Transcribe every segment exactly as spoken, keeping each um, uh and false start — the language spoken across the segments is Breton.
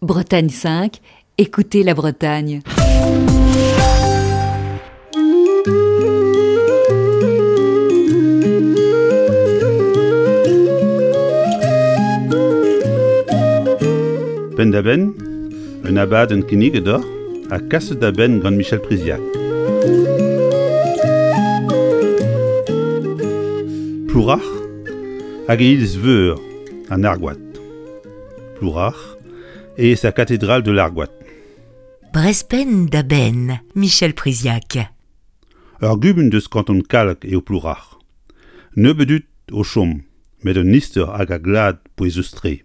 Bretagne cinq, écoutez la Bretagne. Penn-da-benn, un abadenn kinniget deoc'h ha kaset da benn gant Michel Priziac. Plourac'h hag e iliz-veur an Argoad. Plourac'h et sa cathédrale de l'Argoat. Brezh Penn da Benn, Michel Priziac. Ur gumun deus kanton Kallag eo Plourac'h. Nebeut dud o chom, met un istor hag a glad pouezus-tre.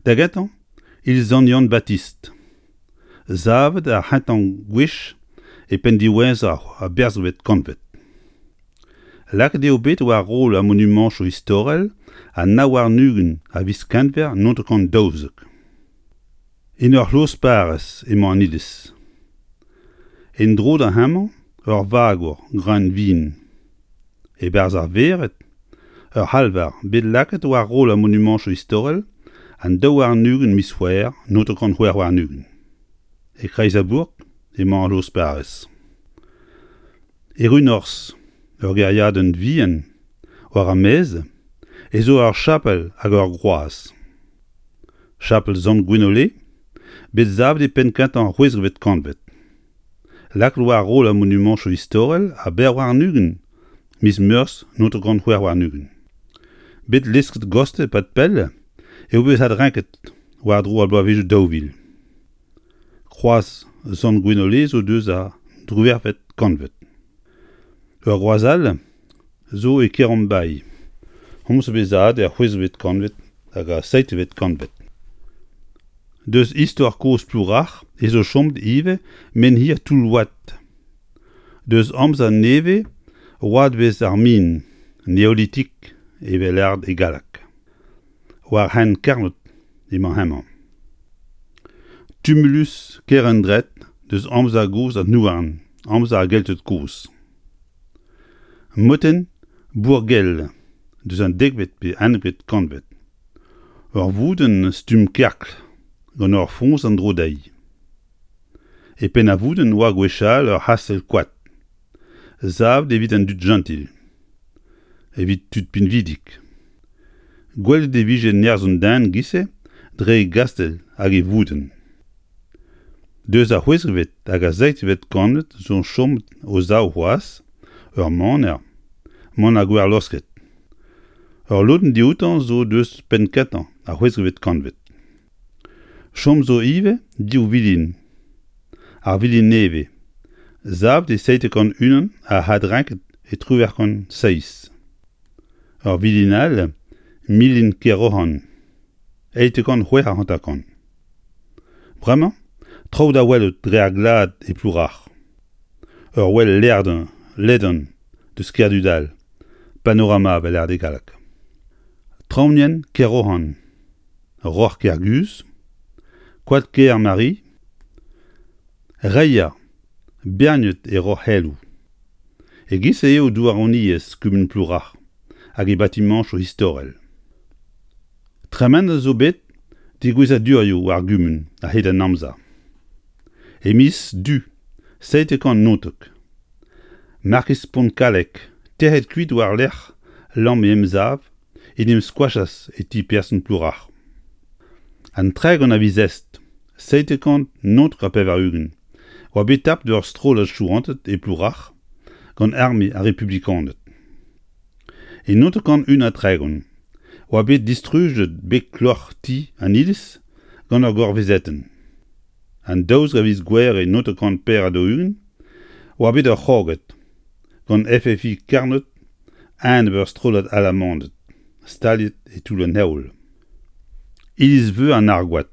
Da gentañ, iliz Sant Yann-Batist. Savet ar c'hentañ gwech e penn diwezhañ ar berzvet kantved. Lakaet eo bet war roll ar monumantoù istorel an nav warn-ugent a viz Genver naontek kant daouzek. En ur c'hloz-parrez emañ an iliz. En-dro da hemañ ur vagour greun vin. E-barzh ar vered, ur c'halvar bet lakaet war roll ar monumantoù istorel an daou warn-ugent miz C'hwevrer naontek kant c'hwec'h warn-ugent. E-kreiz ar bourk emañ ar c'hloz-parrez. E Run-Norzh, ur gêriadenn vihan, war ar maez, ez zo ur chapel hag ur groaz. Chapel Sant Gwenole, bet savet e penn-kentañ ar c'hwezekvet kantved. Lakaet war roll ar monumantoù istorel a bevar warn-ugent miz Meurzh naontek kant c'hwec'h warn-ugent. Bet lesket gostez e-pad pell eo bet adrenket war-dro ar bloavezhioù daou vil. Kroaz Sant Gwenole zo deus ar driwec'hvet kantved. Ur groaz all zo e Kerombailh. Homañ zo bet savet er c'hwezekvet kantved hag ar seizhvet kantved. Deus istor kozh Plourac'h ez zo chomet ivez menhir Toull-Oad. Deus amzer nevez oadvezh ar min, neolitik evel lâret e galleg. War hent Karnod emañ hemañ. Tumulus Kerendred deus amzer gozh an houarn, amzer ar Gelted kozh. Motenn Bourgell deus an dekvet pe unnekvet kantved. Ur voudenn stumm kerkl gant ur foñs en-dro dezhi. E penn ar voudenn oa gwechall ur c'hastell koad. Savet evit an dud jentil. Evit tud pinvidik. Gwelet e vije nerzh an den giz-se dre e gastell hag e voudenn. Deus ar c'hwezekvet hag ar seizhvet kantved zo chomet o sav c'hoazh ur maner, maner Gwerlosket. Ur lodenn dioutañ zo deus penn-kentañ ar c'hwezekvet kantved. Chom zo ivez div vilin. Ar vilin nevez, savet e seitek kant unan ha adrenket e triwec'h kant seizh. Ur vilin all, milin Keroc'han, eizhtek kant c'hwec'h ha hanter-kant. Bremañ, traoù da welout dre ar glad e Plourac'h. Ur wel ledan, ledan deus Kerdudal, panorama evel lâret e galleg. Traoñienn Keroc'han, Roc'h Kerguzh, Koad Ker-Mari, Reier, berniet e Roc'h-Heloù. E-giz-se eo douaroniezh kumun Plourac'h hag e batimañchoù istorel. Tremenet zo bet degouezhadurioù war gumun a-hed an amzer. E miz Du seitek kant naontek, Markiz Pontkalleg, tec'het kuit war-lerc'h lamm e emsav, en em skoachas e ti person Plourac'h. An tregont a viz Est, seitek kant naontek ha pevar-ugent, oa bet tapet ur strollad chouanted e Plourac'h gant arme ar Republikaned. E naontek kant un ha tregont, oa bet distrujet beg kloc'h ti an iliz gant ur gorvezetenn. An daouzek a viz Gouhere naontek kant pevar ha daou-ugent, oa bet ur c'hrogad gant F F I Karnod a-enep ur strollad Alamaned staliet e Toull an Heol. Iliz-veur an Argoad.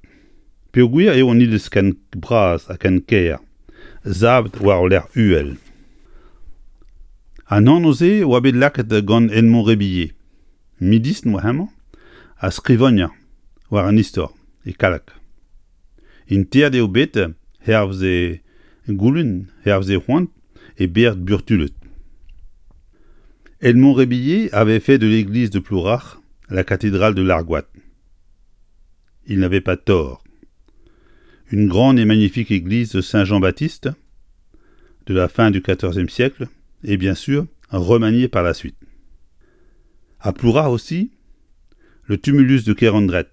Peogwir eo an iliz ken bras ha ken kaer, savet war ul lec'h uhel. An anv-se oa bet lakaet gant Edmond Rebillet, medisin oa hemañ, ha skrivagner war an istor e Kallag. Interet eo bet hervez e goulenn, hervez e c'hoant, e bered Burtuled. Edmond Rebillet avait fait de l'église de Plourac'h la cathédrale de l'Argoat. Il n'avait pas tort. Une grande et magnifique église de Saint-Jean-Baptiste de la fin du quatorzième siècle et bien sûr remaniée par la suite. À Ploura aussi, le tumulus de Kerandret,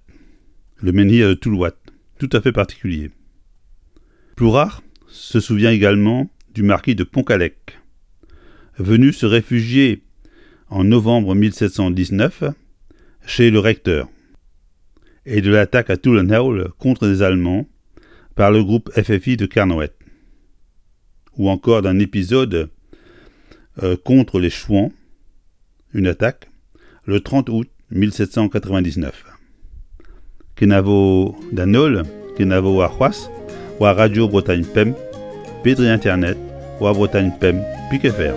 le menhir de Toulouat, tout à fait particulier. Plourac'h se souvient également du marquis de Pontcallec, venu se réfugier en novembre mille sept cent dix-neuf chez le recteur, et de l'attaque à Toulenhaul contre les Allemands par le groupe F F I de Carnoët, ou encore d'un épisode, euh, contre les Chouans, une attaque, le trente août mille sept cent quatre-vingt-dix-neuf. Kenavo d'Anol, Kenavo à Roas, ou à Radio Bretagne Pemp, Pédri Internet, ou à Bretagne Pemp, Pique F R.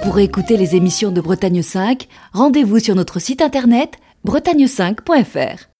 Pour écouter les émissions de Bretagne cinq, rendez-vous sur notre site internet bretagne cinq point F R.